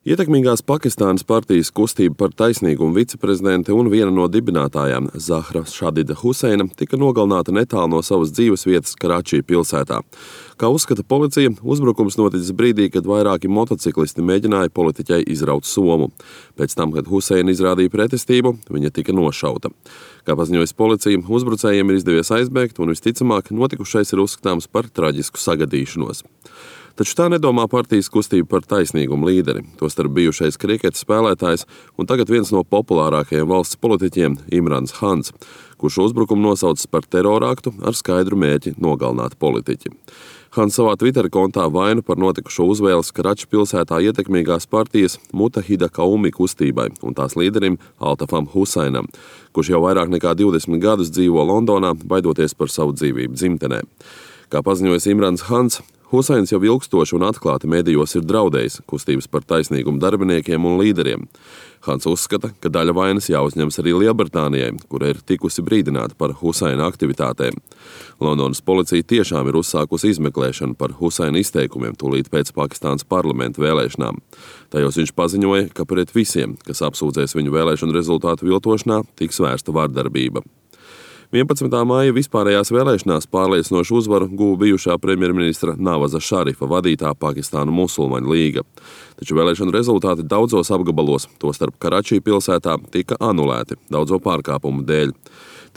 Ietekmīgās Pakistānas partijas kustība par taisnīgumu viceprezidente un viena no dibinātājām Zahra Šadida Huseina tika nogalināta netālu no savas dzīvesvietas Karačī pilsētā. Kā uzskata policija, uzbrukums noticis brīdī, kad vairāki motociklisti mēģināja politiķei izraut somu. Pēc tam, kad Huseina izrādīja pretestību, viņa tika nošauta. Kā paziņojas policija, uzbrucējiem ir izdevies aizbēgt un visticamāk notikušais ir uzskatāms par traģisku sagadīšanos. Taču tā nedomā partijas kustība par taisnīgumu līderi, tostarp bijušais kriketa spēlētājs un tagad viens no populārākajiem valsts politiķiem Imrans Hans, kurš uzbrukumu nosaucis par terorāktu ar skaidru mērķi nogalināt politiķi. Hans savā Twitter kontā vainu par notikušo uzvēles Karačī pilsētā ietekmīgās partijas Mutahida Qaumi kustībai un tās līderim Altafam Huseinam, kurš jau vairāk nekā 20 gadus dzīvo Londonā, baidoties par savu dzīvību dzimtenē. Kā paziņojas Imrans Hans, Huseins jau ilgstoši un atklāti medijos ir draudējis kustības par taisnīgumu darbiniekiem un līderiem. Hans uzskata, ka daļa vainas jāuzņems arī Lielbritānijai, kura ir tikusi brīdināta par Huseina aktivitātēm. Londonas policija tiešām ir uzsākusi izmeklēšanu par Huseina izteikumiem tūlīt pēc Pakistānas parlamenta vēlēšanām. Tajos viņš paziņoja, ka pret visiem, kas apsūdzēs viņu vēlēšanu rezultātu viltošanā, tiks vērsta vardarbība. 11. māja vispārējās vēlēšanās pārliecinošu uzvaru guva bijušā premjerministra Navaza Šarifa vadītā Pakistānu musulmaņu līga. Taču vēlēšanu rezultāti daudzos apgabalos, tostarp Karačī pilsētā, tika anulēti daudzo pārkāpumu dēļ.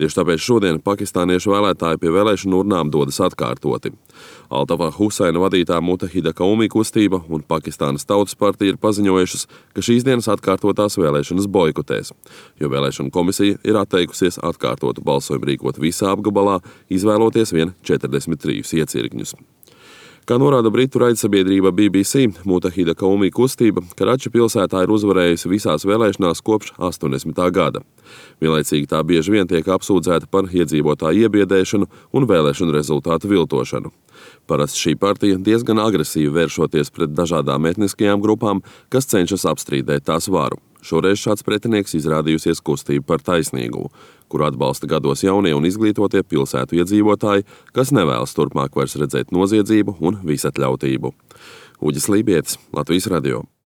Tieši tāpēc šodien pakistāniešu vēlētāji pie vēlēšanu urnām dodas atkārtoti. Altafa Huseina vadītā Mutahida Qaumi kustība un Pakistānas Tautas partija ir paziņojušas, ka šīs dienas atkārtotās vēlēšanas boikotēs, jo vēlēšanu komisija ir atteikusies atkārtotu balsojumu rīkot visā apgabalā, izvēloties vien 43 iecirkņus. Kā norāda britu raidsabiedrība BBC, Mutahida Qaumi kustība Karačī pilsētā ir uzvarējusi visās vēlēšanās kopš 80. gada. Vienlaicīgi tā bieži vien tiek apsūdzēta par iedzīvotāju iebiedēšanu un vēlēšanu rezultātu viltošanu. Parasti šī partija diezgan agresīvi vēršoties pret dažādām etniskajām grupām, kas cenšas apstrīdēt tās varu. Šoreiz šāds pretinieks izrādījusies kustība par taisnīgumu, kuru atbalsta gados jaunie un izglītotie pilsētu iedzīvotāji, kas nevēlas turpmāk vairs redzēt noziedzību un visatļautību. Uģis Lībietis, Latvijas radio.